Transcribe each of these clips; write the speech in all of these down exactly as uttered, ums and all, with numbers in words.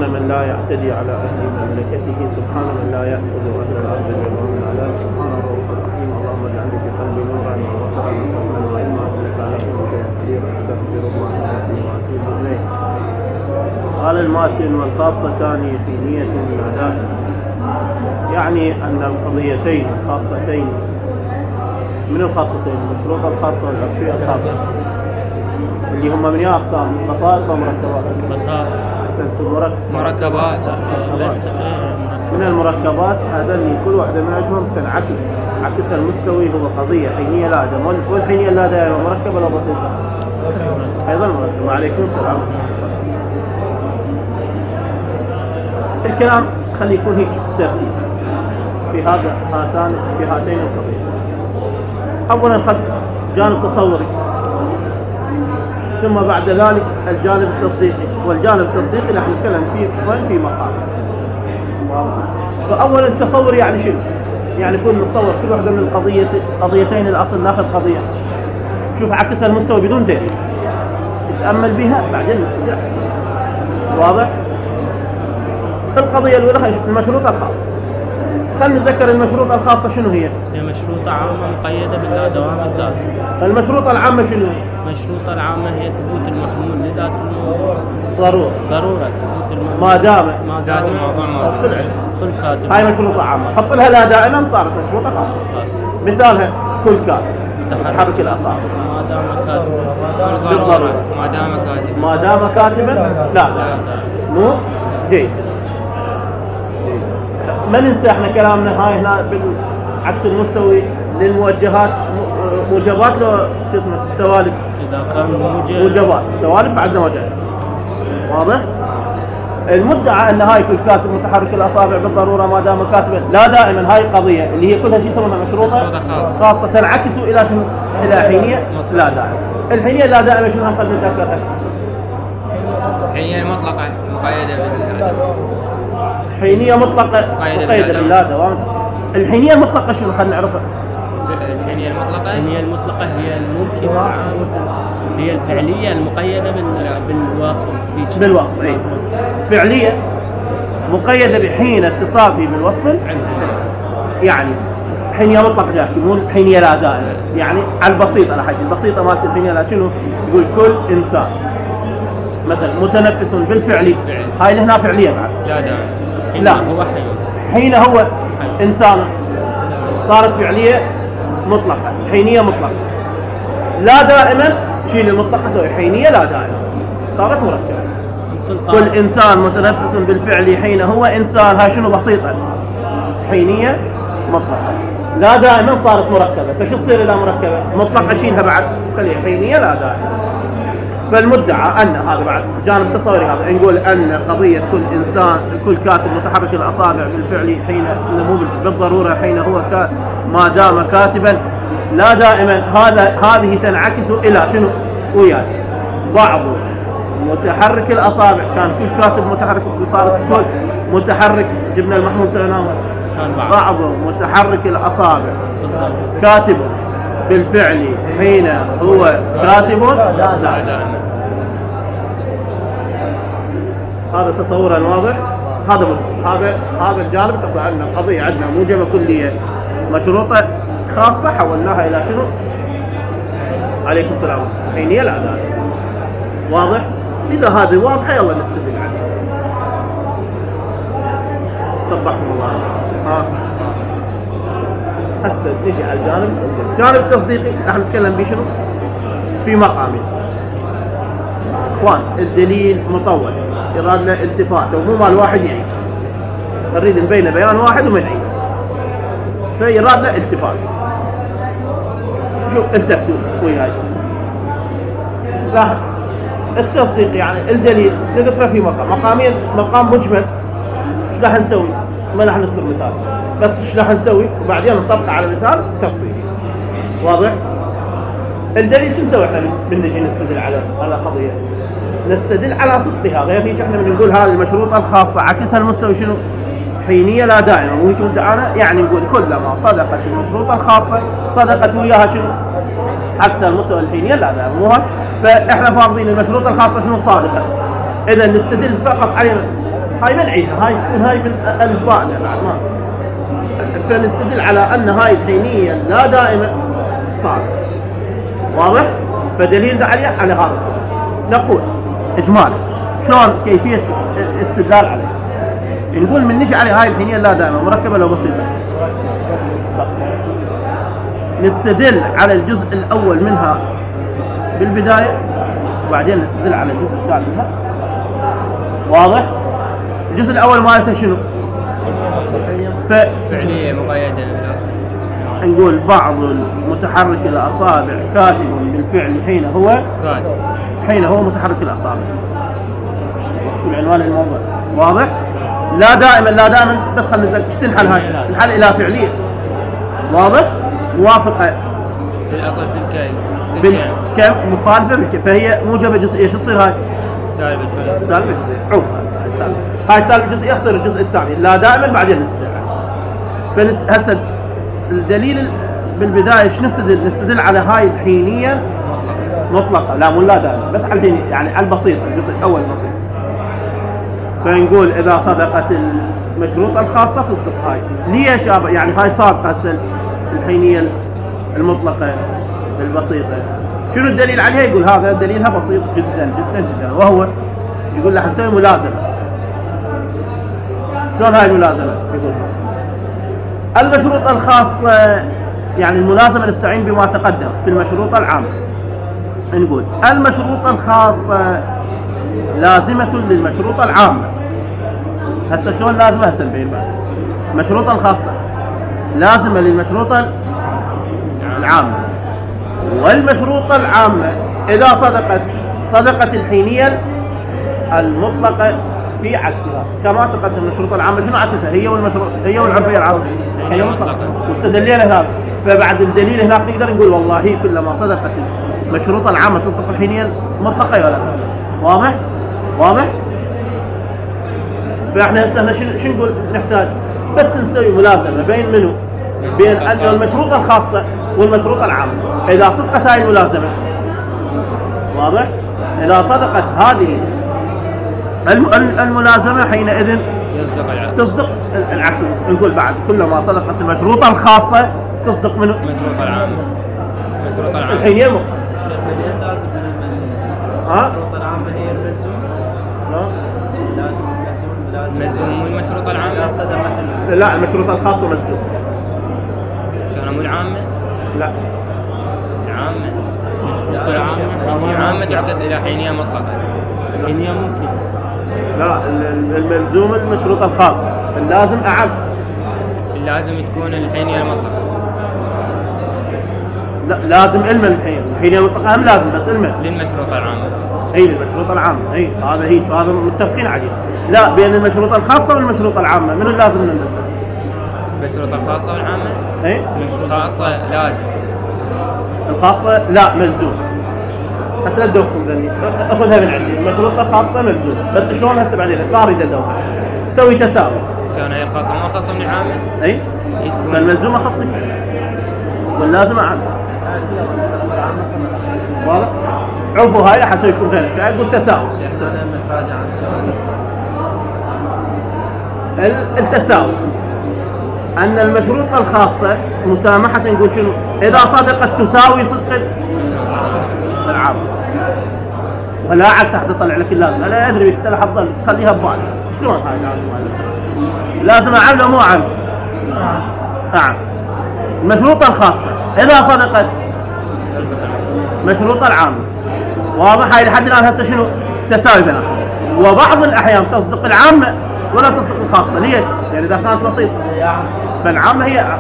من لا يعتدي على أهل مملكته، سبحان من لا يأخذ أهل الأرض جميعا من على، سبحان الرؤوف الرحيم. اللهم اجعل في قلبي نورا وبصرا وقلبا وعلما إنك على كل شيء قدير. أستغفر الله لي وأتوب إليه. قال الماتن: والخاصتان حينية الأداء، يعني أن القضيتين الخاصتين من الخاصتين المشروطة الخاصة والعرفية الخاصة اللي هم من أقسام بسائط ومركبات. بسائط أحسنت. مركبات. من المركبات هذا اللي كل واحدة منهم تنعكس عكس المستوي، هو قضية حينية لا دائمة. والحينية لا دائمة مركبة ولا بسيطة؟ أيضا مركبة. وعليكم السلام. الكلام خلي يكون هيك ترتيب في هذا هاتان في هاتين القضيتين. أولا خد جانب تصوري، ثم بعد ذلك الجانب التصديقي، والجانب التصديقي راح نتكلم فيه وين في مقام. فأولا التصور يعني شنو؟ يعني كل نتصور كل واحدة من القضية قضيتين الأصل ناخذ قضية شوف عكس المستوى بدون دليل، نتأمل بها بعدين نستدل. واضح؟ القضية الأولى المشروطة الخاصة. خلينا نتذكر المشروطة الخاصة شنو هي؟ هي مشروطة عامة مقيدة باللا دوام الذات. المشروطة العامة شنو؟ المشروطة العامة هي ثبوت المحمول لذات الموضوع. ضرورة. ضرورة ثبوت المحمول ما دام ما دام الموضوع موجود. كل كاتب. هاي مشروطة عامة، حط لها لا دائما صارت مشروطة خاصة. مثالها كل كاتب متحرك الأصابع. ما دام كاتب. بالضرورة. ما دام كاتب. ما دام كاتبا لا لا. مو جيد. ما ننسى احنا كلامنا هاي هنا بالعكس المستوي للموجهات، موجبات له شو اسمه السوالف. اذا كان موجب موجبات السوالف عندنا وجهات. واضح؟ المدعى ان هاي كل كاتب متحرك الاصابع بالضروره ما دام كاتبا لا دائما، هاي قضيه اللي هي كلها شيء يسمونها مشروطه خاصه تنعكس الى شنو؟ الى حينيه لا دائما. الحينيه لا دائما شنو هم قد نتذكرها؟ الحينيه المطلقه مقيده بالله. حينية مطلقة مقيدة باللا دوام. الحينية المطلقة شنو خلينا نعرفها؟ الحينية المطلقة الحينية المطلقة هي الممكنة، هي الفعلية المقيدة بالوصف. بالوصف اي فعلية مقيدة بحين اتصافي بالوصف العلمي. يعني حينية مطلقة جاهزة مو حينية لا دائما. يعني على البسيطة على حاجة البسيطة مالت الحينية لا شنو؟ يقول كل إنسان مثلا متنفس بالفعلي، هاي اللي هنا فعلية بعد لا دائما. لا هو حين حين هو إنسان صارت فعلية مطلقة، حينية مطلقة. لا دائما شيل المطلقة سوي حينية لا دائما صارت مركبة. كل إنسان متنفس بالفعل حين هو إنسان، هاي شنو بسيطة حينية مطلقة. لا دائما صارت مركبة، فشو تصير إلى مركبة مطلقة شيلها بعد خليها حينية لا دائما. فالمدعى أن هذا بعد جانب تصوري هذا نقول أن قضية كل إنسان كل كاتب متحرك الأصابع بالفعل حين مو بالضرورة حين هو ما دام كاتبا لا دائما، هذا هذه تنعكس إلى شنو؟ وياي بعض متحرك الأصابع كان كل كاتب متحرك صارت كل متحرك جبنا المحمول سويناه بعض متحرك الأصابع كاتب بالفعل حين هو كاتب لا دائما. هذا تصورا واضح. هذا هذا هذا الجانب تصور أن القضية عندنا موجبة كلية مشروطة خاصة حولناها إلى شنو؟ عليكم السلام حينية لا دائما. واضح؟ إذا هذه واضحة يلا نستدل عنها. صبحكم الله. ها هسه نجي على الجانب التصديقي. الجانب التصديقي راح نتكلم به شنو؟ في مقامين. اخوان الدليل مطول يراد له التفات ومو مال واحد يعيد، نريد نبين بيان واحد وما نعيد، فيراد له التفات. شوف التفتوا وياي لاحظ التصديق يعني الدليل نذكره في مقام مقامين. مقام مجمل ايش راح نسوي؟ ما راح نذكر مثال بس ايش راح نسوي وبعدين نطبق على مثال تفصيلي. واضح؟ الدليل شو نسوي احنا من نجي نستدل على على قضيه؟ نستدل على صدقها. غير هيك احنا بنقول هذه المشروطه الخاصه عكسها المستوي شنو؟ حينيه لا دائما. مو هيك مدعانا يعني نقول كلما صدقت المشروطه الخاصه صدقت وياها شنو؟ عكسها المستوى الحينيه لا دائما. مو هيك؟ فاحنا فاضلين المشروطه الخاصه شنو؟ صادقه. اذا نستدل فقط على هاي بنعيدها، هاي هاي من الف باء بعد ما، فنستدل على ان هاي الحينيه لا دائما صار. واضح؟ فدليل عليه على هذا الصدق. نقول اجمالا شلون كيفيه استدلال عليه. نقول من نجي على هاي الحينيه لا دائما مركبه لو بسيطه، نستدل على الجزء الاول منها بالبدايه، وبعدين نستدل على الجزء الثاني منها. واضح؟ الجزء الاول مالته شنو؟ ف... فعليه مقيده. نقول بعض متحرك الاصابع كاتب بالفعل حين هو كاتب حين هو متحرك الاصابع. وصف العنوان الموضوع. واضح؟ لا دائما لا دائما بس خلينا ايش تنحل هاي؟ تنحل الى فعليه. واضح؟ موافقه بالاصل في الكي بالكم مخالفه بالكم، فهي موجبه جزئيه. ايش تصير هاي؟ سالبه جزئيه. سالبه جزئيه. عوف سالبه. هاي سالبه جزئيه تصير الجزء الثاني لا دائما بعدين نستدل. فنس هسه الدليل بالبدايه ايش نستدل؟ نستدل على هاي الحينيه مطلقه، لا مو لا دائما، بس على الحينيه يعني على البسيطه، الجزء الاول البسيط. فنقول اذا صدقت المشروطه الخاصه تصدق هاي. ليش يعني هاي صادقه هسه الحينيه المطلقه البسيطه؟ شنو الدليل عليها؟ يقول هذا دليلها بسيط جدا جدا جدا، وهو يقول لها نسوي ملازمه. شلون هاي الملازمه؟ يقول المشروطه الخاصه يعني الملازمه نستعين بما تقدم في المشروطه العامه. نقول المشروطه الخاصه لازمه للمشروطه العامه. هسه شلون لازمه؟ هسه نبين بعد. المشروطه الخاصه لازمه للمشروطه العامه، والمشروطه العامه اذا صدقت صدقت الحينيه المطلقه في عكسها كما تقدم. المشروطه العامه شنو عكسها؟ هي والمشروط هي والعرفيه العامه هي مطلقه، واستدلينا هذا. فبعد الدليل هناك نقدر نقول والله كلما صدقت المشروطه العامه تصدق الحينيه المطلقه ولا لا. واضح؟ واضح؟ فاحنا هسه شنو شنو نقول نحتاج؟ بس نسوي ملازمه بين منو؟ بين المشروطه الخاصه والمشروطه العامه. اذا صدقت هاي الملازمه، واضح؟ اذا صدقت هذه الملازمه حينئذ تصدق العكس. نقول بعد كلما صدقت المشروطه الخاصه تصدق منه المشروطه العامه. المشروطه العامه الحين يمو ها؟ المشروطه العامه هي الملزوم. لازم الملزوم ملزوم والمشروطه العامه لا، المشروطه الخاصه ملزوم. شلون مو العامه؟ لا العامه. العامه العامه تعكس الى حينيه مطلقه. حينيه ممكن. لا، الملزوم المشروطه الخاصه، اللازم اعم. اللازم تكون الحينيه المطلقه. لا، لازم علما الحين الحينيه المطلقه هم لازم، بس علما للمشروطه العامه. اي للمشروطه العامه. اي هذا هي هذا متفقين عليه. لا، بين المشروطه الخاصه والمشروطه العامه من اللازم ننزل؟ المشروطه الخاصه والعامه. اي الخاصه لازم. الخاصه لا ملزوم. هسه لا تدوخكم ذني، اخذها من عندي. المشروطه الخاصه ملزوم، بس شلون هسه بعدين ما اريد ادوخ. سوي تساوي. شلون هي الخاصه ما خاصه من العامه؟ اي فالملزومه خاصه واللازمه عامه. واضح؟ عفوا هاي راح اسوي لكم غير شيء، اقول تساوي. انا متراجع عن سؤالي. التساوي ان المشروطه الخاصه مسامحه نقول شنو؟ اذا صدقت تساوي صدق العام، ولا عكس حتى تطلع لك اللازم. انا ادري بك تلحظ ظل تخليها ببالك. شلون هاي لازم؟ لازم عام ولا مو عام؟ نعم. المشروطه الخاصه اذا صدقت مشروطه العامه. واضح؟ هاي لحد الان هسه شنو؟ تساوي بينهم. وبعض الاحيان تصدق العامه ولا تصدق الخاصه. ليش؟ يعني اذا كانت بسيطه فالعامه هي أعم.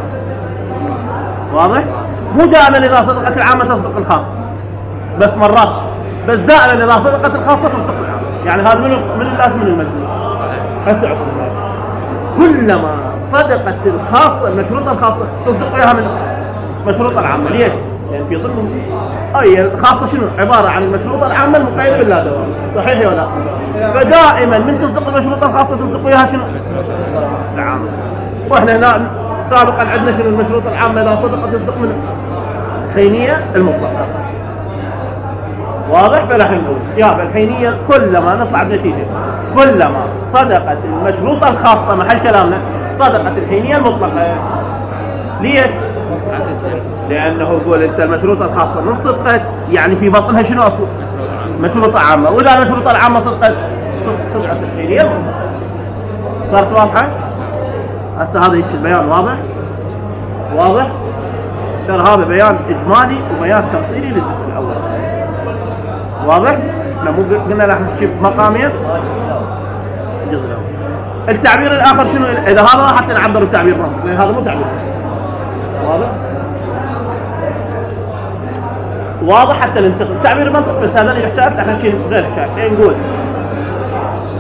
واضح؟ مو دائما اذا صدقت العامه تصدق الخاصه، بس مرات. بس دائما اذا صدقت الخاصه تصدق العامه. يعني هذا من من اللازم من الملزوم. هسه عقب كلما صدقت الخاصه المشروطه الخاصه تصدق وياها من المشروطه العامه. ليش؟ يعني في ضمن اي الخاصه شنو؟ عباره عن المشروطه العامه المقيده باللا دوام. صحيح ولا لا؟ فدائما من تصدق المشروطه الخاصه تصدق وياها شنو؟ العامه. واحنا هنا سابقا عندنا شنو؟ المشروطه العامه اذا صدقت تصدق من الحينيه المطلقه. واضح؟ فنحن نقول يا الحينيه كلما نطلع بنتيجه كلما صدقت المشروطة الخاصة محل كلامنا صدقت الحينية المطلقة. ليش؟ لأنه يقول أنت المشروطة الخاصة من صدقت يعني في بطنها شنو أكو؟ مشروطة عامة، وإذا المشروطة العامة صدقت صدقت الحينية المطلقة. صارت واضحة؟ هسه هذا هيك البيان واضح؟ واضح؟ ترى هذا بيان إجمالي وبيان تفصيلي للجزء الأول. واضح؟ احنا مو قلنا راح نحكي بمقامين الجزء الأول. التعبير الآخر شنو؟ إذا هذا حتى نعبر بتعبير منطق لأن هذا مو تعبير. واضح؟ واضح حتى ننتقل تعبير المنطق بس هذا اللي نحكي احنا شيء غير شيء. نقول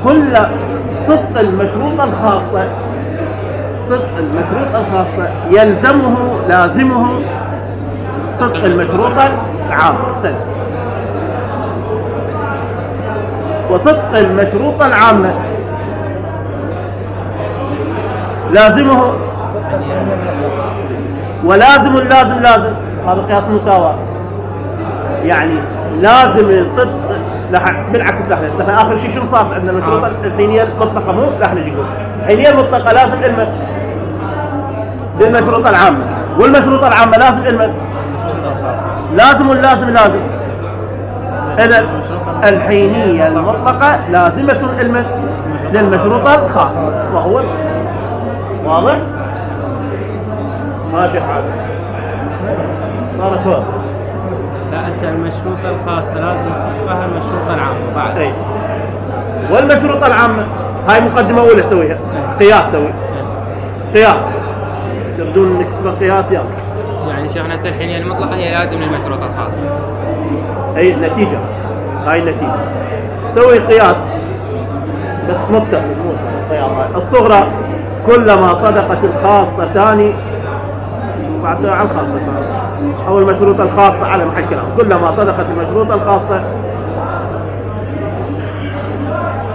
كل صدق المشروطة الخاصة صدق المشروطة الخاصة يلزمه لازمه صدق المشروطة العامة. سنة. وصدق المشروطة العامة لازمه ولازم اللازم لازم. هذا قياس مساواة يعني لازم صدق. بالعكس لحظة هسه آخر شيء شنو صار عندنا المشروطة الحينية المطلقة مو راح نجي نقول الحينية المطلقة لازم علمه بالمشروطة العامة والمشروطة العامة لازم علمه لازم واللازم لازم. إذا الحينية المطلقة لازمة علمه للمشروطة الخاصة وهو واضح؟ ماشي حاجة صارت واضح. لا أسأل المشروطة الخاصة لازم تصفها المشروطة العامة بعد. أي. والمشروطة العامة هاي مقدمة أولى سويها قياس سوي قياس تردون نكتب قياس يلا. يعني شيخنا هسه الحينية المطلقة هي لازم للمشروطة الخاصة. أي النتيجة هاي النتيجة سوي قياس بس متصل مو الصغرى كلما صدقت الخاصتان بعد سواء على الخاصة أو المشروطة الخاصة على محل كلام كلما صدقت المشروطة الخاصة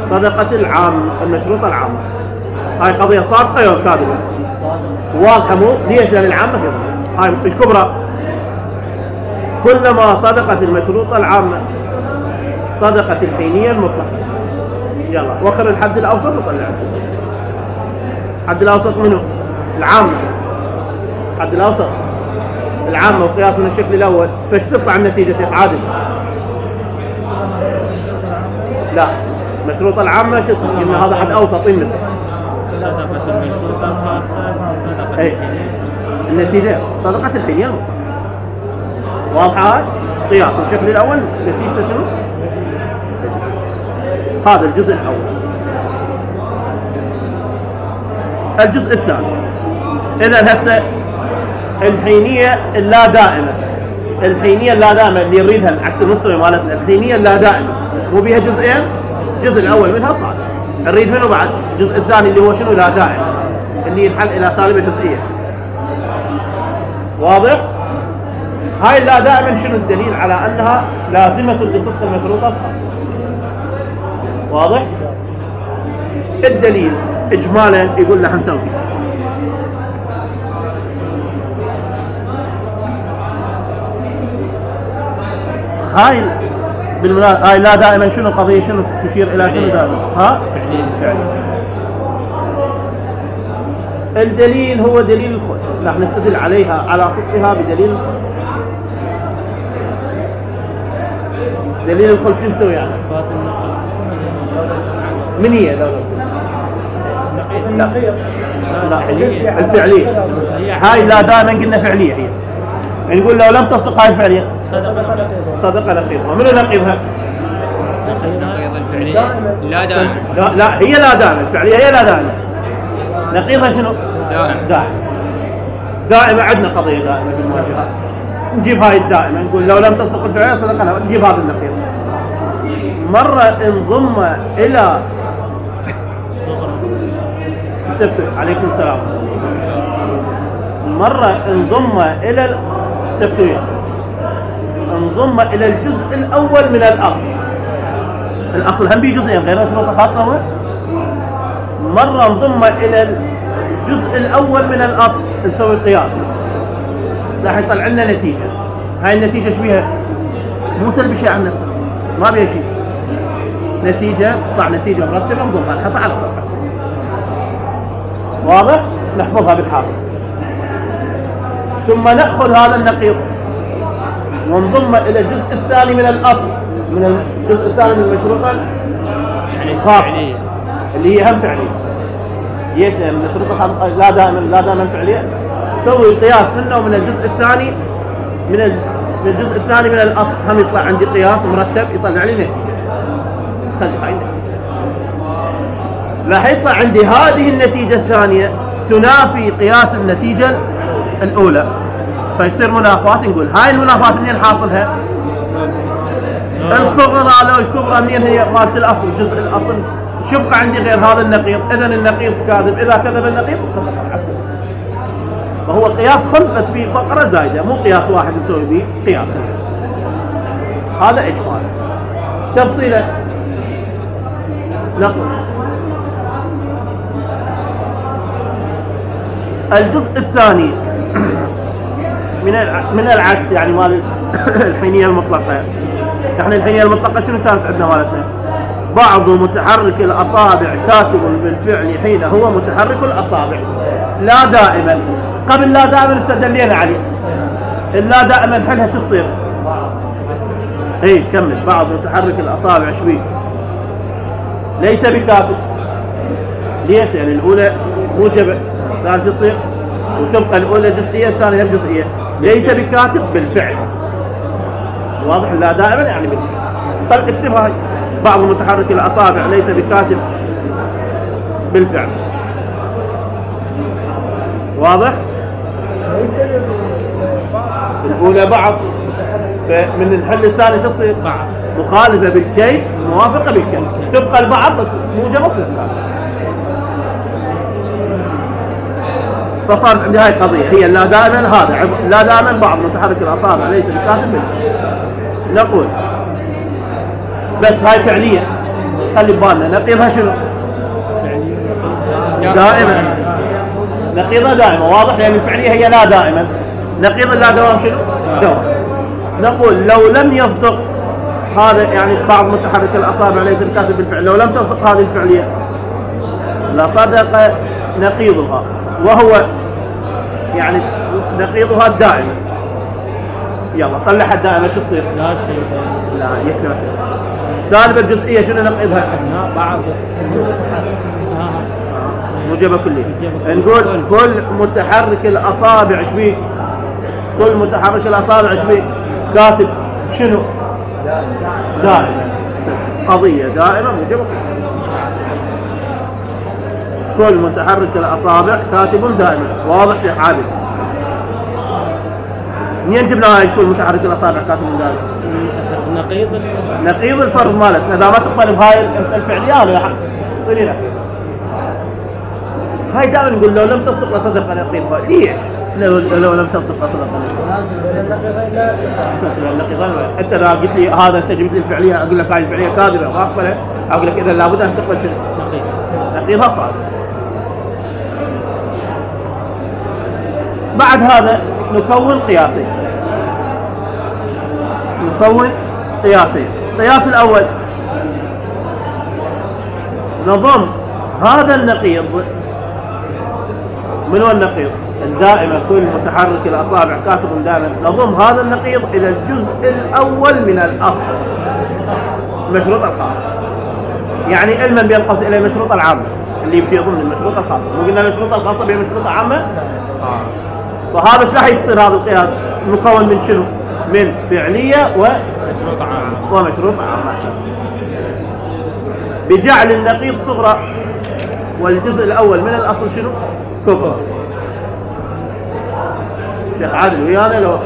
صدقت العام المشروطة العامة. هاي قضية صادقة أو كاذبة؟ واضحة مو؟ ليش؟ لأن العامة هاي الكبرى كلما صدقت المشروطة العامة صدقت الحينية المطلقة. يلا وخر الحد الأوسط وطلع الحد الأوسط منه العامة. الحد الأوسط العامة وقياس من الشكل الأول فايش تطلع النتيجة شيخ عادل؟ لا المشروطة العامة شو اسمه؟ قلنا هذا حد أوسط يمسك صدقت المشروطة الخاصة صدقت اي النتيجة صدقت الحينية المطلقة. واضحة هاي؟ قياس الشكل الأول نتيجة شنو؟ هذا الجزء الأول. الجزء الثاني إذا هسه الحينية اللا دائمة الحينية اللا دائمة اللي يريدها عكس المستوى مالتنا الحينية اللا دائمة مو بيها جزئين. الجزء الأول منها صار نريد منه بعد الجزء الثاني اللي هو شنو لا دائم اللي ينحل إلى سالبة جزئية. واضح؟ هاي اللا دائما شنو الدليل على أنها لازمة لصدق المشروطة الخاصة؟ واضح؟ الدليل إجمالا يقول لنا حنسوي هاي بالمناسبة هاي لا دائما شنو القضية شنو تشير إلى شنو دائما؟ ها؟ فعلي. الدليل هو دليل الخلف راح نستدل عليها على صدقها بدليل الخلف. دليل الخلف شو نسوي يعني؟ من هي دولة النقيض؟ لا الفعلية. هاي لا دائما قلنا فعلية هي يعني نقول لو لم تصدق هاي الفعلية صدق نقيضها. منو نقيضها؟ نقيض الفعلية لا دائما. لا, لا هي لا دائما الفعلية هي لا دائما. نقيضها شنو؟ دائما. دائما دائما عندنا قضية دائما بالمواجهات نجيب هاي الدائمة نقول لو لم تصدق الفعلية صدقنا نجيب هذا النقيض. مرة انضم إلى تفتح عليكم السلام مرة انضم إلى التفتوية انضم إلى الجزء الأول من الأصل. الأصل هم بيه جزئين غير مشروطة خاصة هو مرة انضم إلى الجزء الأول من الأصل نسوي قياس راح يطلع لنا نتيجة. هاي النتيجة شو بيها؟ مو سلبي شيء عن نفسه ما بيها شيء نتيجة تطلع نتيجة مرتبة نضمها نحطها على صفحة. واضح؟ نحفظها بالحافظ. ثم نأخذ هذا النقيض ونضمه إلى الجزء الثاني من الأصل، من الجزء الثاني من المشروطة الخاصة اللي هي هم فعلية. ليش؟ لأن المشروطة لا دائما لا دائما فعلية. سوي قياس منه ومن الجزء الثاني من الجزء الثاني من الأصل هم يطلع عندي قياس مرتب يطلع لي نتيجة. خلي هاي راح يطلع عندي هذه النتيجة الثانية تنافي قياس النتيجة الأولى، فيصير منافات. نقول هاي المنافات منين حاصلها؟ الصغرى لو الكبرى منين هي؟ مالت الأصل، جزء الأصل. شبقى عندي غير هذا النقيض، إذا النقيض كاذب، إذا كذب النقيض صدق العكس. فهو قياس خلف بس فيه فقرة زايدة، مو قياس واحد نسوي به قياس. هذا إجمال. تفصيلا نقول الجزء الثاني من من العكس، يعني مال الحينية المطلقة. احنا الحينية المطلقة شنو كانت عندنا مالتنا؟ بعض متحرك الأصابع كاتب بالفعل حين هو متحرك الأصابع. لا دائما، قبل لا دائما استدلينا عليه. اللا دائما حلها شو تصير؟ اي كمل. بعض متحرك الأصابع شوي ليس بكاتب. ليش؟ يعني الأولى موجبة، الثانية تصير وتبقى الأولى جزئية الثانية جزئية. ليس بكاتب بالفعل. واضح؟ لا دائما يعني بالفعل. طيب اكتبها هاي. بعض متحرك الأصابع ليس بكاتب بالفعل. واضح؟ الأولى بعض، فمن الحل الثاني شو تصير؟ مخالفة بالكيف موافقة بالكيف. تبقى البعض بس موجبة تصير. فصارت عندي هاي القضية هي لا دائما. هذا لا دائما بعض متحرك الأصابع ليس بكاتب بالفعل. نقول بس هاي فعلية، خلي ببالنا نقيضها شنو؟ دائما. نقيضها دائما. واضح؟ لأن الفعلية هي لا دائما. نقيض اللا دوام شنو؟ دوام. نقول لو لم يصدق هذا، يعني بعض متحرك الأصابع ليس بكاتب بالفعل، لو لم تصدق هذه الفعلية لصدق نقيضها، وهو يعني نقيضها الدائما. يلا طلعها الدائما شو تصير؟ لا شيء. لا ليش لا شيء؟ سالبة الجزئية شنو نقيضها؟ لا بعض موجبة كلية. نقول كل متحرك الأصابع ايش بيه؟ كل متحرك الأصابع ايش بيه؟ كاتب شنو؟ دائما. قضية دائما موجبة كلية. كل متحرك الأصابع كاتب دائما. واضح شيخ عادل؟ منين جبنا هاي كل متحرك الأصابع كاتب دائما؟ نقيض نقيض الفرض مالتنا. إذا ما تقبل بهاي الفعلية هذا حق طلينا. هاي دائما نقول لو لم تصدق لصدق نقيضها. ليش؟ لو لو لم تصدق لصدق نقيضها. حتى إذا قلت لي هذا أنت جبت لي الفعلية، أقول لك هاي الفعلية كاذبة ما أقبلها، أقول لك إذا لابد أن تقبل نقيض. نقيضها صار. بعد هذا نكون قياسين. نكون قياسين. القياس الأول نضم هذا النقيض. من هو النقيض؟ الدائما كل متحرك الأصابع كاتب دائما. نضم هذا النقيض إلى الجزء الأول من الأصل، المشروط الخاص. يعني علما بينقص إلى المشروط العامة اللي في ضمن المشروط الخاصة. مو قلنا المشروط الخاصة بها مشروط عامة؟ آه. فهذا ايش راح يصير هذا القياس؟ مكون من شنو؟ من فعلية ومشروط عامة. ومشروط عامة. بجعل النقيض صغرى والجزء الأول من الأصل شنو؟ كبرى. شيخ عادل ويانا لو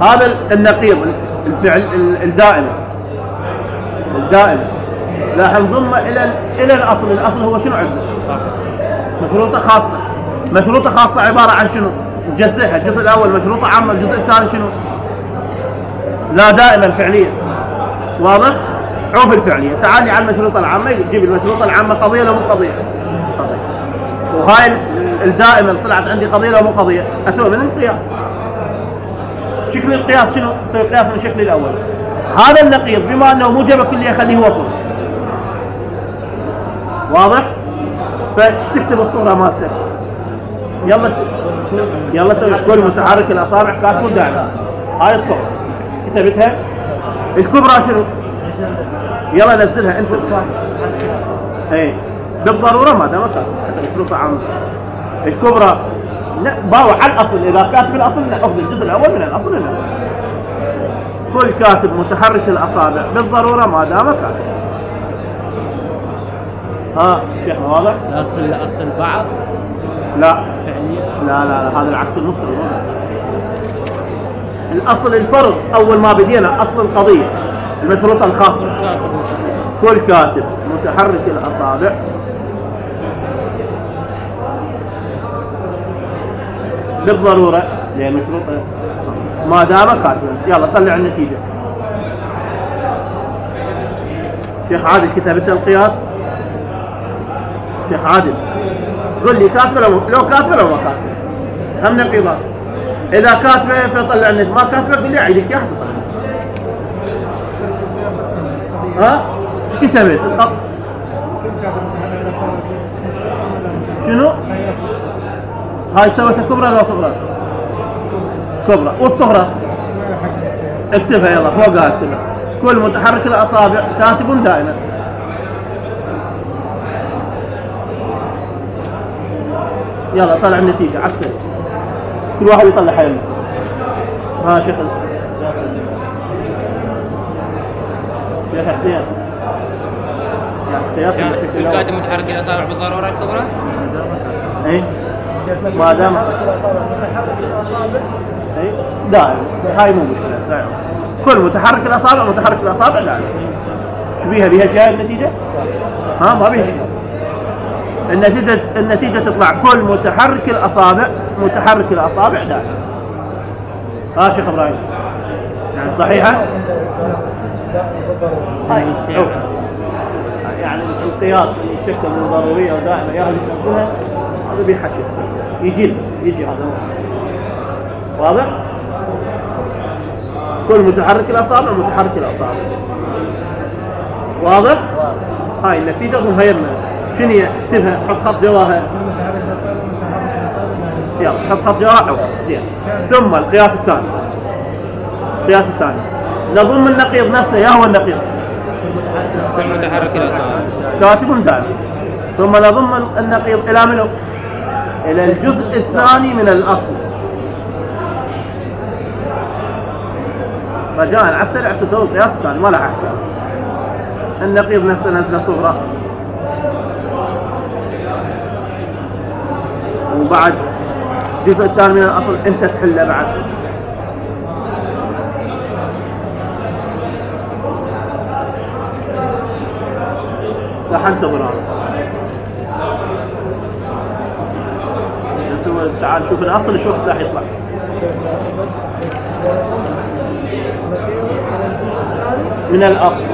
هذا النقيض الفعل الدائم الدائم راح نضمه إلى إلى الأصل. الأصل هو شنو عنده؟ مشروطة خاصة. مشروطة خاصة عبارة عن شنو؟ نجزئها. الجزء الأول مشروطة عامة، الجزء الثاني شنو؟ لا دائما فعلية. واضح؟ عوف الفعلية. تعالي على المشروطة العامة، يجيب المشروطة العامة قضية لو مو قضية؟ قضية. وهاي الدائما طلعت عندي قضية لو مو قضية؟ أسوي من القياس. شكل القياس شنو؟ نسوي قياس من الشكل الأول. هذا النقيض بما انه موجبه كليه خليه وصل. واضح؟ فايش تكتب الصوره مالته؟ يلا يلا سوي كل متحرك الاصابع كاتبه دائما. هاي الصوره كتبتها. الكبرى شنو؟ يلا نزلها انت. اي بالضروره ما دام كاتب حتى الفروق عامه. الكبرى لا باو على الاصل، اذا كاتب الاصل ناخذ الجزء الاول من الاصل للنص. كل كاتب متحرك الاصابع بالضروره ما دام كاتب. ها شيخ واضح؟ الاصل الاصل بعض لا فعليا لا لا, لا. هذا العكس المستوى. الاصل الفرض اول ما بدينا اصل القضيه المشروطه الخاصه. كل كاتب متحرك الاصابع بالضروره لان مشروطه ما دام كاتبا. يلا طلع النتيجه. شيخ عادل كتبت القياس. شيخ عادل قل لي كاتبه لو لو كاتبه لو ما كاتبه. هم نقيضات. اذا كاتبه فطلع النتيجه، ما كاتبه قل لي عيدك يا حد. ها كتبت الخط شنو؟ هاي سويتها كبرى ولا صغرى؟ كبرى. والصغرى اكتبها يلا فوقها اكتبها. كل متحرك الاصابع كاتب دائما. يلا طلع النتيجة عكسها. كل واحد يطلع حيله. ها شيخ يا حسين يعني كل كاتب متحرك الاصابع بالضروره الكبرى؟ اي ما دام اي دائما. هاي مو مشكله. كل متحرك الاصابع متحرك الاصابع دائما. شو بيها بيها شيء النتيجه؟ ها ما بيها شيء. النتيجه النتيجه تطلع كل متحرك الاصابع متحرك الاصابع دائما. ها شيخ ابراهيم يعني صحيحه؟ هاي يعني القياس اللي يشكل من ضروريه ودائما يا اهل تنسوها هذا بيحكي يجي يجي هذا واضح؟ كل متحرك الاصابع متحرك الاصابع. واضح؟ هاي النتيجه مهيرنا. شنو اكتبها حط خط جواها. يلا حط خط جواها زين. ثم القياس الثاني. القياس الثاني نضم النقيض نفسه. يا هو النقيض كل متحرك الاصابع كاتب دائما. ثم نضم النقيض الى منه؟ الى الجزء الثاني من الاصل. رجاء على السريع تسوي القياس الثاني ما له احكام. النقيض نفسه نزله صغرى وبعد الجزء الثاني من الاصل انت تحله بعد. راح انتظر هذا. نسوي تعال شوف الاصل شو وقت راح يطلع. من الاصل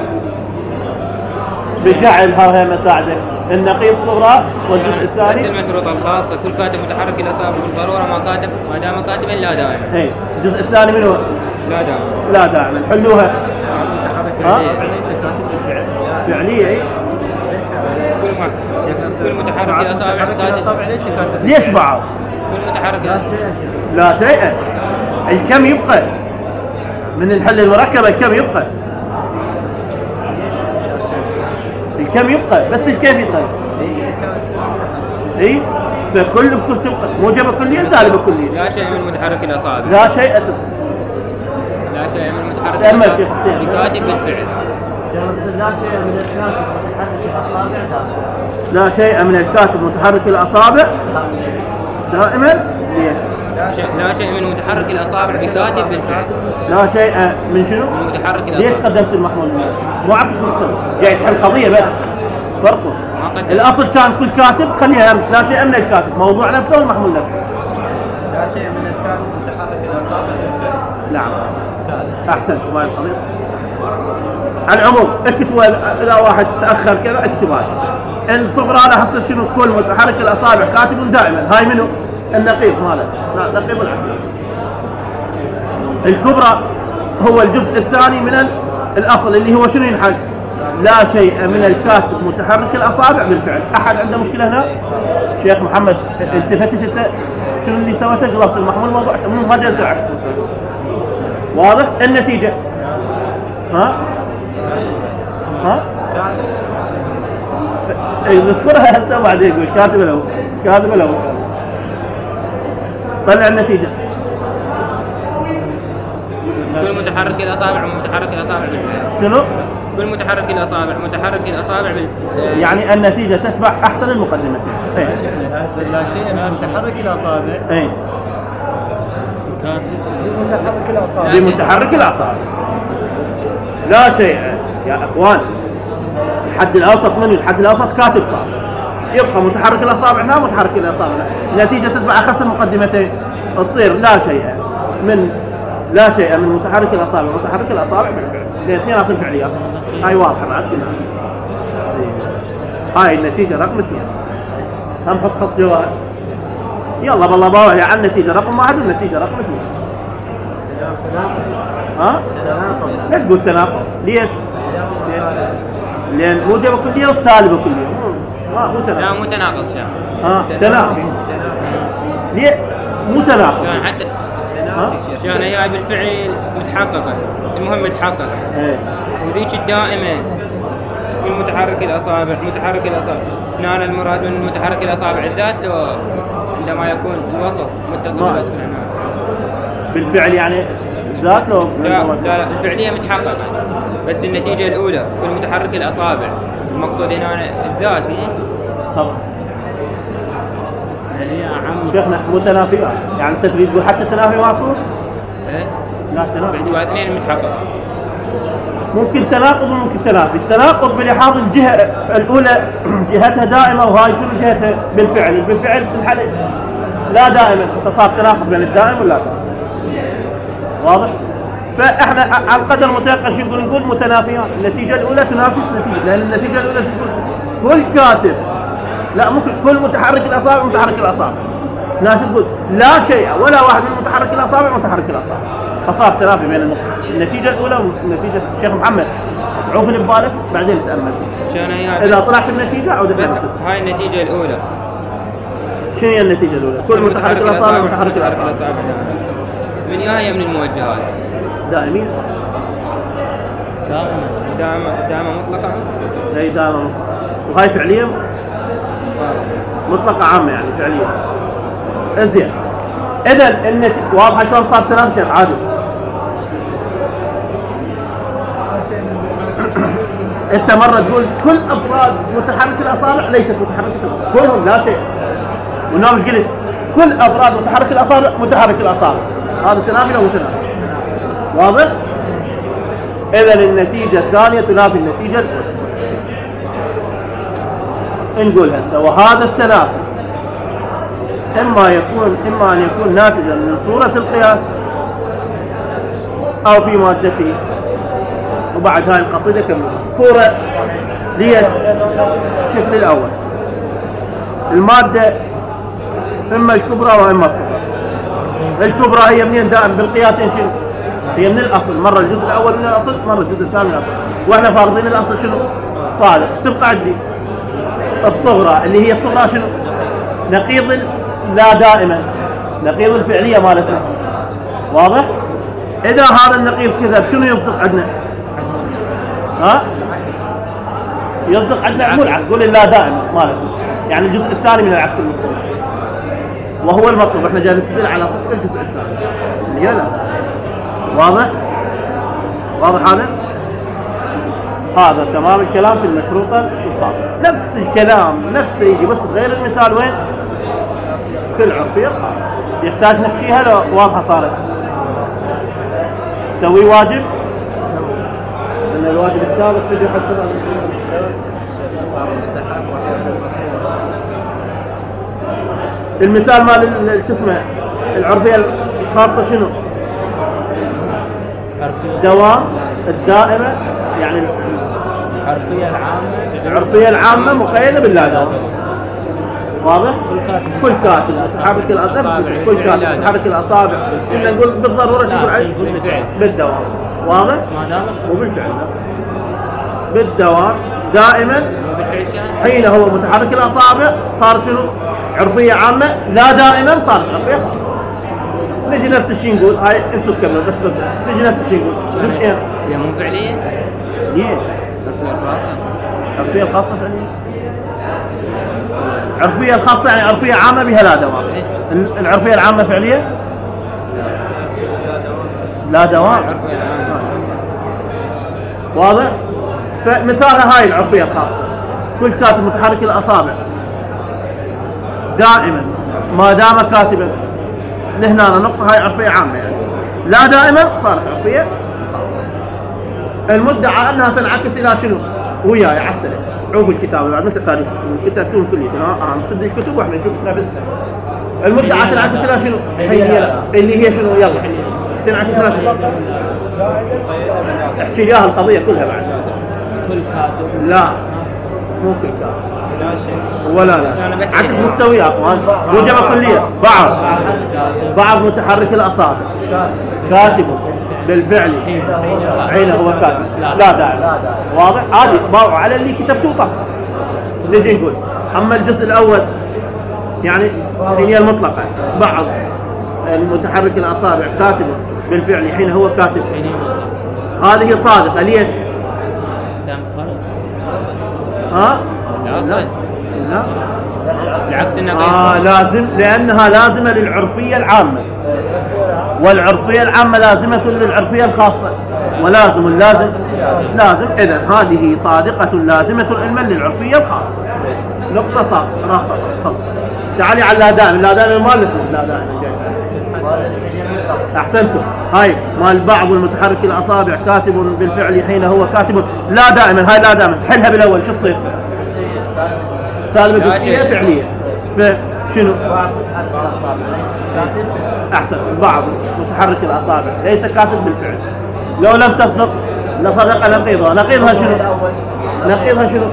بجعل ها مساعده النقيض صغرى والجزء الثاني. بس المشروطه الخاصه كل كاتب متحرك الاصابع بالضروره ما كاتب ما دام كاتبا لا دائما. اي الجزء الثاني منه لا دائما. لا دائما. حلوها. متحرك الاصابع ليس كاتب بالفعل. فعليه اي كل ما كل متحرك الاصابع الاصابع ليس كاتب. ليش بعض؟ كل متحرك لا شيء. الكم يبقى من الحل المركبه. الكم يبقى الكم يبقى بس الكيف يبقى. اي فكل بكل تبقى موجبه كليه سالبه كليه. لا شيء من متحرك الاصابع. لا شيء أتبقى. لا شيء من متحرك الاصابع بكاتب بالفعل. لا شيء من الكاتب متحرك الاصابع دائما. لا شيء من الكاتب متحرك الاصابع دائما. لا شيء لا شيء من متحرك الاصابع بكاتب بالفعل. لا شيء من شنو؟ من متحرك الاصابع. ليش قدمت المحمول؟ مو عكس مستوى جاي تحل قضيه بس فرقه. الاصل كان كل كاتب خليها لا شيء من الكاتب موضوع نفسه والمحمول نفسه. لا شيء من الكاتب متحرك الاصابع بالفعل. نعم احسنت. وما القضيه على العموم اكتبوا اذا واحد تاخر كذا اكتب هاي الصغرى راح تصير شنو؟ كل متحرك الاصابع كاتب دائما. هاي منه؟ النقيض ماله. لا نقيض العكس. الكبرى هو الجزء الثاني من الاصل اللي هو شنو ينحل؟ لا شيء من الكاتب متحرك الاصابع بالفعل. احد عنده مشكله هنا؟ شيخ محمد التفتت انت شنو اللي سويته؟ قلبت المحمول الموضوع مو ما جالس العكس. واضح؟ النتيجه ها ها اي نذكرها هسه بعدين. يقول كاتب له كاتب له طلع النتيجه. كل متحرك الاصابع ومتحرك الاصابع بالفعل. شنو؟ كل متحرك الاصابع متحرك الاصابع بال يعني النتيجه تتبع احسن المقدمتين. اي لا شيء من متحرك الاصابع. اي متحرك الاصابع. بمتحرك الاصابع لا شيء يا اخوان. الحد الاوسط منه الحد الاوسط كاتب صار يبقى متحرك الاصابع هنا متحرك الاصابع هنا. النتيجه تتبع اخس المقدمتين تصير لا شيء من لا شيء من متحرك الاصابع متحرك الاصابع بالفعل. الاثنين الفعليات هاي واضحه بعد كده. هاي النتيجه رقم اثنين. هم حط خط جوال يلا بالله باوع على النتيجه رقم واحد والنتيجه رقم اثنين. ها؟ لا تقول تناقض. ليش؟ لأن موجبة كلية وسالبة كلية. ما مو تناقض. لا مو تناقض شان. ها تناقض. ليه؟ مو تناقض. شان حتى شان هي بالفعل متحققة. المهم متحققة. ايه. وذيك الدائمة في متحرك الأصابع متحرك الأصابع. هنا المراد من متحرك الأصابع الذات لو عندما يكون الوسط متصل بالوسط هنا. بالفعل يعني ذات لو لا لا لا الفعلية متحققة بس النتيجة الأولى كل متحرك الأصابع المقصود هنا الذات مو طبعا يعني عم شيخنا متنافيات يعني انت تريد تقول حتى التنافي ماكو؟ ايه لا تنافي باعتبار اثنين متحققة. ممكن تناقض وممكن تنافي. التناقض بلحاظ الجهة الأولى جهتها دائمة وهاي شنو جهتها بالفعل. بالفعل تنحل لا دائما فصار تناقض بين الدائم واللا دائم. واضح؟ فاحنا على القدر المتيقن شو نقول؟ نقول متنافيات. النتيجة الأولى تنافي النتيجة لأن النتيجة الأولى شو تقول؟ كل كاتب لا ممكن كل متحرك الأصابع متحرك الأصابع. ناس تقول لا شيء ولا واحد من متحرك الأصابع متحرك الأصابع. فصار تنافي بين النقطة. النتيجة الأولى ونتيجة الشيخ محمد عوفني ببالك بعدين تأمل. إذا طلعت النتيجة عود بس هاي النتيجة الأولى. شنو هي النتيجة الأولى؟ كل متحرك الأصابع متحرك الأصابع. من هي من الموجهات؟ دائمين. دائما دائما دائما مطلقة. اي دائما مطلقة. وهاي فعليا مطلقة عامة يعني فعليا. زين. إذا النتيجة واضحة شلون صار تنافي عادي. انت مرة تقول كل افراد متحرك الاصابع ليست متحركة الاصابع كلهم لا شيء. والنوم ايش قلت؟ كل افراد متحرك الاصابع متحرك الاصابع. هذا تنافي لو متنافي. واضح؟ اذا النتيجة الثانية تنافي النتيجة الاولى. نقول هسه وهذا التنافي اما يكون اما ان يكون ناتجا من صورة القياس او في مادته. وبعد هاي القصيدة كم صورة ليش الشكل الأول المادة إما الكبرى وإما الصغرى. الكبرى هي منين دائم بالقياسين شنو؟ هي من الأصل مرة الجزء الأول من الأصل مرة الجزء الثاني من الأصل. وإحنا فارضين الأصل شنو؟ صادق. ايش تبقى عندي؟ الصغرى اللي هي الصغرى شنو؟ نقيض لا دائما نقيض الفعلية مالتنا. واضح؟ إذا هذا النقيض كذب شنو يصدق عندنا؟ ها؟ يصدق عندنا مو العكس. قول لا دائما مالتنا يعني الجزء الثاني من العكس المستمر وهو المطلوب. احنا جاي نستدل على صدق الجزء الثاني اللي لا. واضح؟ واضح هذا؟ هذا تمام الكلام في المشروطة الخاصة. نفس الكلام نفسه يجي بس غير المثال وين؟ في العرفية الخاصة. يحتاج نحكيها لو واضحة صارت. سوي واجب ان الواجب السابق تجي حتى صار مستحب المثال مال شو اسمه العرفية الخاصة شنو؟ دوام الدائمة يعني العرفية العامة العرفية العامة مقيدة باللا دوام. واضح؟ كل كاتب متحرك الأصابع كل كاتب متحرك الأصابع إلا نقول بالضرورة شو نقول عليه؟ بالدوام. واضح؟ ما دام وبالفعل بالدوام دائما حين هو متحرك الأصابع صار شنو؟ عرفية عامة. لا دائما صارت عرفية خاصة. نجي نفس الشيء نقول هاي انتم تكملوا بس بس نجي نفس الشيء نقول جزئين. هي مو فعلية؟ ليه؟ العرفية الخاصة. العرفية الخاصة فعلية. العرفية الخاصة يعني عرفية عامة بها لا دوام. العرفية العامة فعلية؟ لا دوام. العرفية العامة. واضح؟ فمثالها هاي العرفية الخاصة. كل كاتب متحرك الأصابع دائما ما دام كاتبا لهنا نقطة هاي عرفية عامة يعني. لا دائما صارت عرفية خاصة. المدعى أنها تنعكس إلى شنو؟ وياي عسلة عوب الكتاب بعد مثل تاريخ الكتاب كلهم كلية اه نصدق الكتب واحنا نشوف نفسنا. المدعى تنعكس إلى شنو؟ هي اللي هي شنو؟ يلا تنعكس إلى شنو؟ احكي لي القضية كلها بعد. كل كاتب لا مو كل كاتب ولا لا عكس مستوي يا اخوان. موجبة كلية بعض بعض متحرك الأصابع كاتب بالفعل حين هو كاتب لا داعي. واضح؟ هذه باعوا على اللي كتبته طبعا. نجي نقول أما الجزء الأول يعني هي المطلقة بعض المتحرك الأصابع كاتب بالفعل حين هو كاتب هذه صادقة. ليش؟ ها؟ لا لا بالعكس النقيض. آه لازم لأنها لازمة للعرفية العامة والعرفية العامة لازمة للعرفية الخاصة ولازم لازم لازم إذن هذه صادقة لازمة علما للعرفية الخاصة. نقطة صار راسة خلص. تعالي على لا دائم. لا دائم ما لكم لا دائم أحسنتم. هاي مال بعض المتحرك الأصابع كاتب بالفعل حين هو كاتب لا دائما. هاي لا دائما حلها بالأول شو تصير؟ سالبة جزئية فعلية. فشنو؟ أحسن. بعض متحرك الأصابع ليس كاتب بالفعل. لو لم تصدق لصدق نقيضها. نقيضها شنو؟ نقيضها شنو؟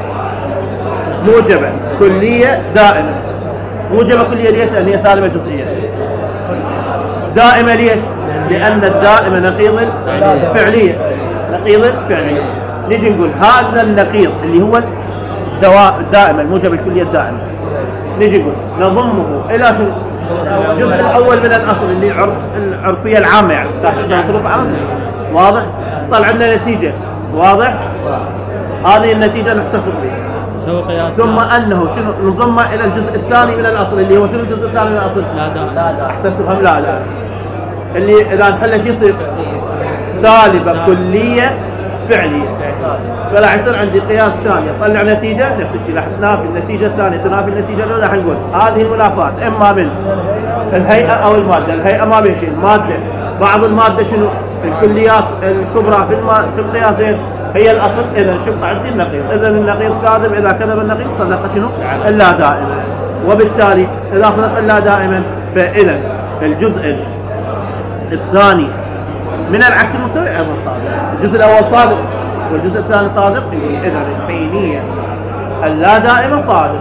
موجبة كلية دائمة. موجبة كلية ليش؟ لأن هي سالبة جزئية. دائمة ليش؟ لأن الدائمة نقيض الفعلية. نقيض الفعلية. نيجي نقول هذا النقيض اللي هو الدواء الدائمة الموجبة الكلية الدائمة. نيجي نقول نضمه إلى شنو؟ الجزء الأول من الأصل اللي العرفية العامة يعني مصروف عنصر. واضح؟ طلع لنا نتيجة. واضح؟ هذه النتيجة نحتفظ بها. ثم أنه شنو نضمه إلى الجزء الثاني من الأصل اللي هو شنو الجزء الثاني من الأصل؟ لا لا لا أحسنت تفهم. لا لا اللي إذا نحله شو يصير؟ سالبة كلية فعلية. فلا يصير عندي قياس ثاني طلع نتيجة نفس الشيء. راح تنافي النتيجة الثانية تنافي النتيجة الأولى. راح نقول هذه المنافات إما من الهيئة أو المادة. الهيئة ما بين شيء. المادة بعض المادة شنو؟ الكليات الكبرى في الم... في القياسين هي الأصل. إذا شوف عندي النقيض. إذا النقيض كاذب. إذا كذب النقيض صدق شنو؟ إلا دائما. وبالتالي إذا صدق إلا دائما فإذا الجزء الثاني من العكس المستوي أيضا صادق. الجزء الأول صادق والجزء الثاني صادق. إذا الحينية اللا دائمة صادق.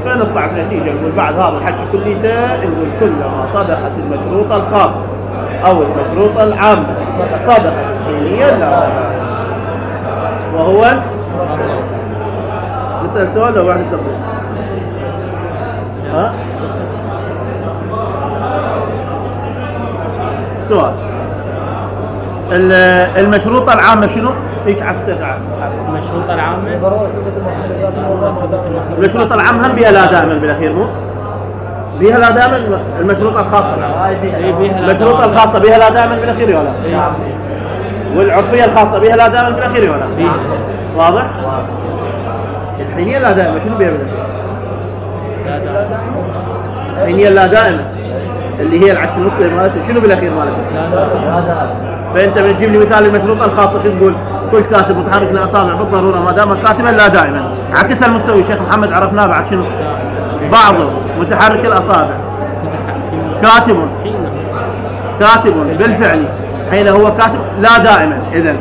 فنطلع بنتيجة نقول بعد هذا الحكي كليته نقول كلما صدقت المشروطة الخاصة أو المشروطة العامة صدقت الحينية لا. وهو نسأل سؤال لو واحد تقول ها سؤال المشروطة العامة شنو؟ هيك على السرعة. المشروطة العامة المشروطة العامة هم بها لا دائما بالأخير مو؟ بها لا دائما. المشروطة الخاصة المشروطة الخاصة بها لا دائما بالأخير ولا؟ والعرفية الخاصة بها لا دائما بالأخير ولا؟ واضح؟ الحينية لا دائما شنو بها بالأخير؟ الحينية لا دائما اللي هي العكس المستوي مالته شنو بالأخير مالته؟ فأنت بتجيب لي مثال المشروطة الخاصة شو تقول؟ كل كاتب متحرك الأصابع بالضرورة ما دام كاتبا لا دائما. عكس المستوي شيخ محمد عرفناه بعد شنو؟ بعض متحرك الأصابع كاتب كاتب بالفعل حين هو كاتب لا دائما. إذن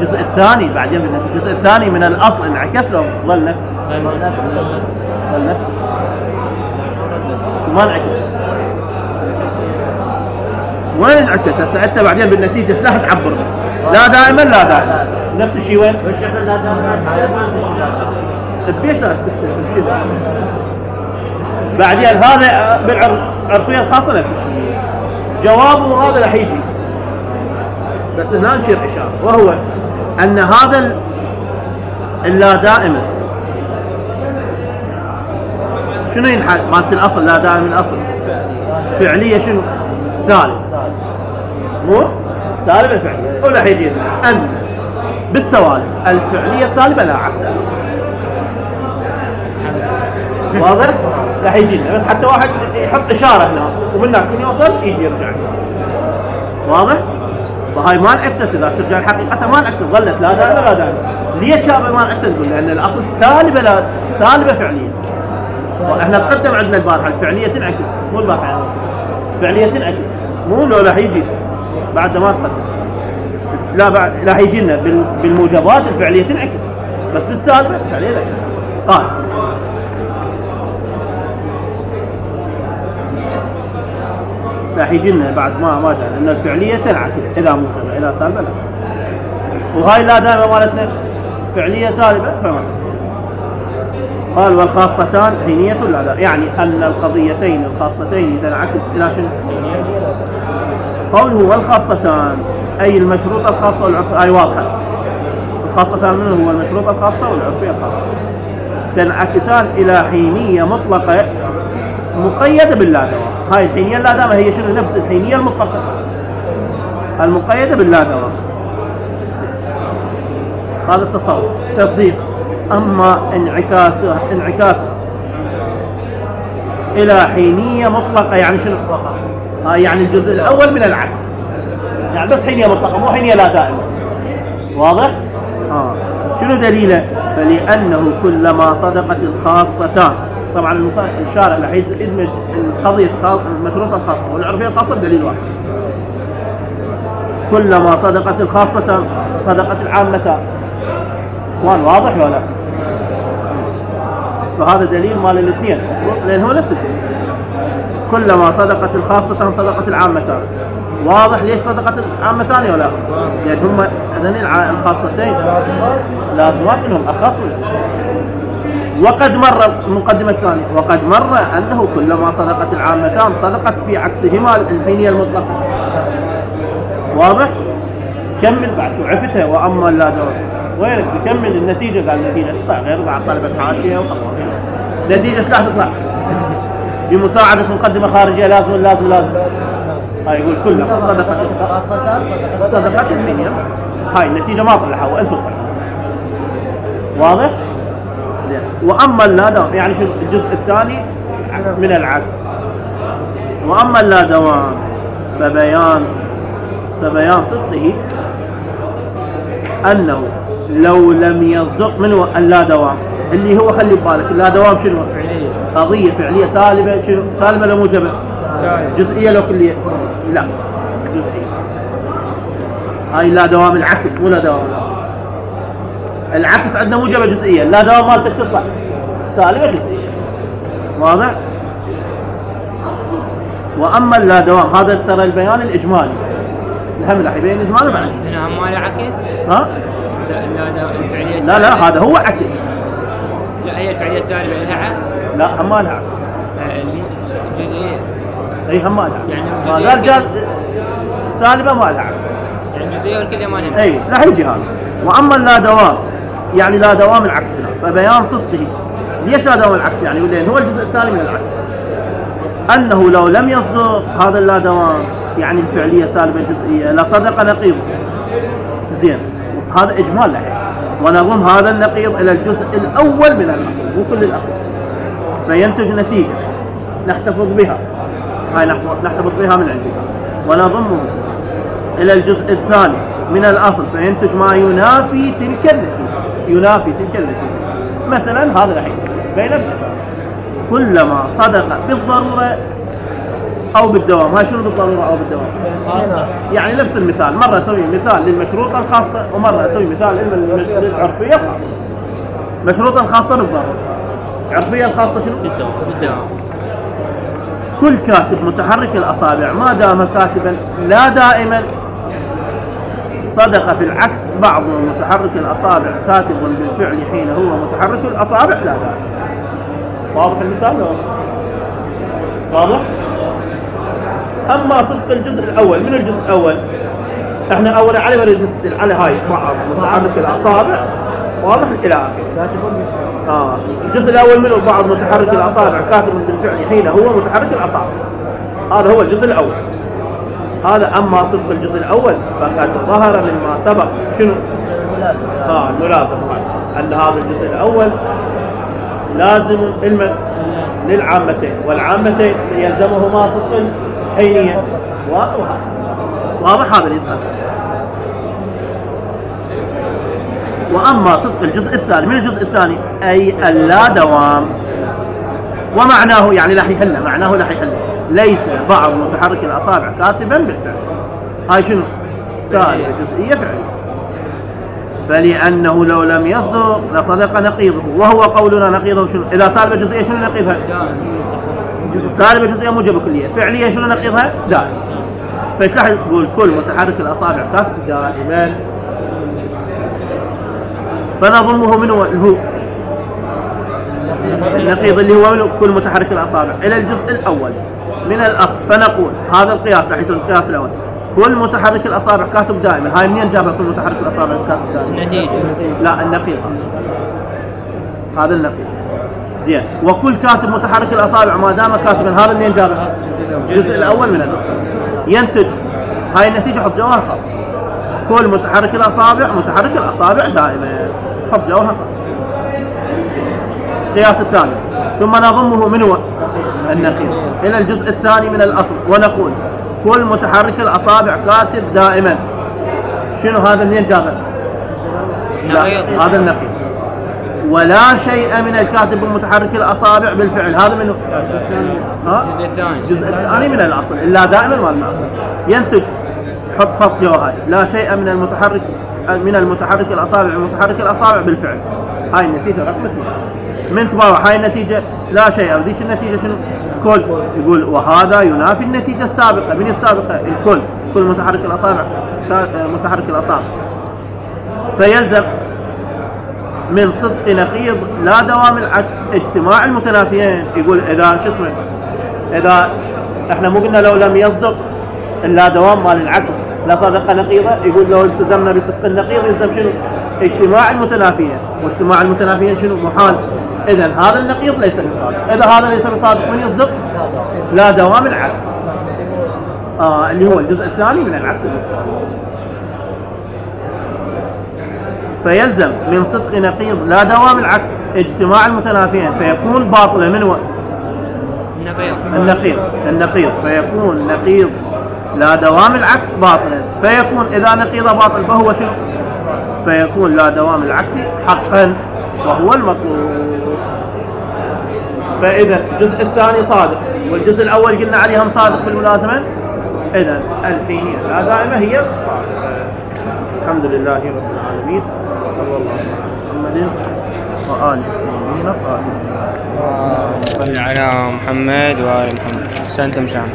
الجزء الثاني بعدين الجزء الثاني من الأصل انعكس له ظل نفسه. ظل نفسه ما انعكس. وين انعكس؟ هسه انت بعدين بالنتيجة ايش راح تعبر؟ لا دائما لا دائما نفس الشيء وين؟ وش احنا لا دائما بيش لا تختلف كذا بعدين هذا بالعرفية الخاصة نفس الشيء جوابه هذا راح يجي بس هنا نشير إشارة وهو أن هذا اللا دائما شنو ينحل مالت الأصل لا دائما الأصل فعلية شنو سالب مو سالب الفعلية ولا يجي أن بالسوالب الفعلية سالبة لا عكسها واضح راح يجي لنا بس حتى واحد يحط إشارة هنا ومن هناك من يوصل يجي يرجع واضح وهاي ما انعكست اذا ترجع الحقيقة ما انعكست ظلت لا دائما لا دائما ليش هذا ما انعكست نقول لأن الأصل سالبة لا سالبة فعلية احنا تقدم عندنا البارحة الفعلية تنعكس مو البارحة الفعلية تنعكس مو لو راح يجي بعد ما تقدم لا بعد راح يجي لنا بالموجبات الفعلية تنعكس بس بالسالبة الفعلية لا قال راح يجي لنا بعد ما ما جاء ان الفعليه تنعكس اذا موجبه اذا سالبه لا وهاي لا دائما مالتنا فعليه سالبه فما قال والخاصتان حينيه لا لا يعني ان القضيتين الخاصتين تنعكس الى شنو قوله والخاصتان اي المشروط الخاصه والعرفيه اي واضحه الخاصتان منه هو المشروط الخاصه والعرفيه الخاصه تنعكسان الى حينيه مطلقه مقيدة باللا دوام هاي الحينية اللا دوام هي شنو نفس الحينية المطلقة المقيدة باللا دوام هذا التصور تصديق أما انعكاسها انعكاسها إلى حينية مطلقة يعني شنو هاي يعني الجزء الأول من العكس يعني بس حينية مطلقة مو حينية لا دائمة واضح؟ آه. شنو دليله؟ فلأنه كلما صدقت الخاصتان طبعا الشارع راح يدمج القضية المشروطة الخاصة والعرفية الخاصة بدليل واحد كلما صدقت الخاصة صدقت العامة وان واضح ولا فهذا دليل مال الاثنين لأن هو نفس الدليل كلما صدقت الخاصة صدقت العامة واضح ليش صدقت العامتان ولا لأن هم أذن الخاصتين لازمات لهم أخص وقد مر المقدمة الثانية وقد مر أنه كلما صدقت العامتان صدقت في عكسهما الحينية المطلقة واضح كمل بعد شو عفتها وأما لا دوام وينك تكمل النتيجة قال النتيجة تطلع غير بعد طلبة حاشية وخلاص نتيجة شلاح تطلع بمساعدة مقدمة خارجية لازم لازم لازم هاي يقول كلما صدقت صدقت الحينية هاي النتيجة ما طلعها وأنتم طلعوا واضح وأما اللا دوام يعني شو الجزء الثاني من العكس وأما اللا دوام فبيان فبيان صدقه أنه لو لم يصدق منه اللا دوام اللي هو خلي ببالك اللا دوام شنو فعلية قضية فعلية سالبة شنو سالبة لو موجبة جزئية لو كلية لا جزئية هاي لا دوام العكس مو لا دوام العكس عندنا موجبة جزئية لا دوام مالتك تطلع سالبة جزئية واضح وأما اللا دوام هذا ترى البيان الإجمالي الهم راح يبين إجمالي بعد هنا هم مالي عكس ها لا لا الفعلية لا لا هذا هو عكس لا هي الفعلية السالبة لها عكس لا هم ما لها عكس الجزئية اي هم ما لها يعني ما زال جاز سالبة ما لها عكس يعني الجزئية والكلية ما لها اي راح يجي هذا وأما اللا دوام يعني لا دوام العكس هنا فبيان صدقه ليش لا دوام العكس يعني لأن هو الجزء الثاني من العكس أنه لو لم يصدق هذا اللا دوام يعني الفعلية سالبة جزئية لصدق نقيض زين هذا إجمال له ونضم هذا النقيض إلى الجزء الأول من الأصل مو كل الأصل فينتج نتيجة نحتفظ بها هاي نحتفظ بها من عندنا ونضمه إلى الجزء الثاني من الأصل فينتج ما ينافي تلك النتيجة ينافي تلك النتيجة مثلا هذا الحين بين كلما صدق بالضرورة أو بالدوام هاي شنو بالضرورة أو بالدوام يعني نفس المثال مرة أسوي مثال للمشروطة الخاصة ومرة أسوي مثال للعرفية الخاصة مشروطة الخاصة بالضرورة عرفية الخاصة شنو بالدوام كل كاتب متحرك الأصابع ما دام كاتبا لا دائما صدق في العكس بعض متحرك الأصابع كاتب بالفعل حين هو متحرك الأصابع لا دائما. واضح المثال؟ واضح؟ أما صدق الجزء الأول، من الجزء الأول احنا أولا على نريد نستدل على هاي بعض متحرك الأصابع، واضح إلى آخره. آه الجزء الأول منه بعض متحرك الأصابع كاتب بالفعل حين هو متحرك الأصابع، هذا هو الجزء الأول. هذا أما صدق الجزء الأول فقد ظهر مما سبق شنو؟ آه الملازم هذا أن هذا الجزء الأول لازم علما للعامتين، والعامتين يلزمهما صدق الحينية. واضح هذا اللي يتقال. وأما صدق الجزء الثاني، من الجزء الثاني أي اللا دوام، ومعناه يعني لا يحل، معناه لا يحل ليس بعض متحرك الأصابع كاتبا بالفعل. هاي شنو؟ سالبة جزئية فعلية، فلأنه لو لم يصدق لصدق نقيضه، وهو قولنا نقيضه شنو؟ إذا سالبة جزئية شنو نقيضها؟ سالبة جزئية موجبة كلية، فعلية شنو نقيضها؟ دائما. فايش راح تقول؟ كل متحرك الأصابع كاتب دائما، فنضمه من هو الهو النقيض اللي هو كل متحرك الأصابع إلى الجزء الأول من الأصل، فنقول هذا القياس راح يصير القياس الأول كل متحرك الأصابع كاتب دائما. هاي منين جابها كل متحرك الأصابع كاتب دائما؟ النتيجة. لا النقيض، هذا النقيض زين. وكل كاتب متحرك الأصابع ما دام كاتبا، هذا منين جابها؟ الجزء الأول من الأصل. ينتج هاي النتيجة حط جواها خط، كل متحرك الأصابع متحرك الأصابع دائما، حط جواها خط. القياس الثاني ثم نضمه من هو النقيض إلى الجزء الثاني من الأصل، ونقول كل متحرك الأصابع كاتب دائما. شنو هذا منين جابه؟ هذا النقيض. ولا شيء من الكاتب بمتحرك الأصابع بالفعل، هذا منه الجزء الثاني الجزء الثاني من الأصل إلا دائما ما الأصل. ينتج حط خط جوهاي لا شيء من المتحرك من المتحرك الأصابع المتحرك الأصابع بالفعل. هاي النتيجة رقم اثنين من تبارع. هاي النتيجة لا شيء، ذيك النتيجة شنو؟ كل. يقول وهذا ينافي النتيجة السابقة. من السابقة؟ الكل، كل متحرك الأصابع متحرك الأصابع. فيلزم من صدق نقيض لا دوام العكس اجتماع المتنافيين. يقول إذا شو اسمه، إذا احنا مو قلنا لو لم يصدق اللا دوام مال العكس لا صدق نقيضه، يقول لو التزمنا بصدق النقيض يلزم شنو؟ اجتماع المتنافيين. واجتماع المتنافيين شنو؟ محال. إذن هذا النقيض ليس بصادق. إذا هذا ليس بصادق من يصدق؟ لا دوام العكس، آه اللي هو الجزء الثاني من العكس المستقيم. فيلزم من صدق نقيض لا دوام العكس اجتماع المتنافيين، فيكون باطلا من هو؟ النقيض. النقيض فيكون نقيض لا دوام العكس باطلا، فيكون إذا نقيض باطل فهو شنو؟ فيكون لا دوام العكس حقا وهو المطلوب. فإذا الجزء الثاني صادق والجزء الأول قلنا عليهم صادق بالملازمة، إذا الحينية لا دائمة هي صادقة. الحمد لله رب العالمين، صلى الله على محمد وآله الطاهرين الطاهرين. صل على محمد وآل محمد. سنتم شام.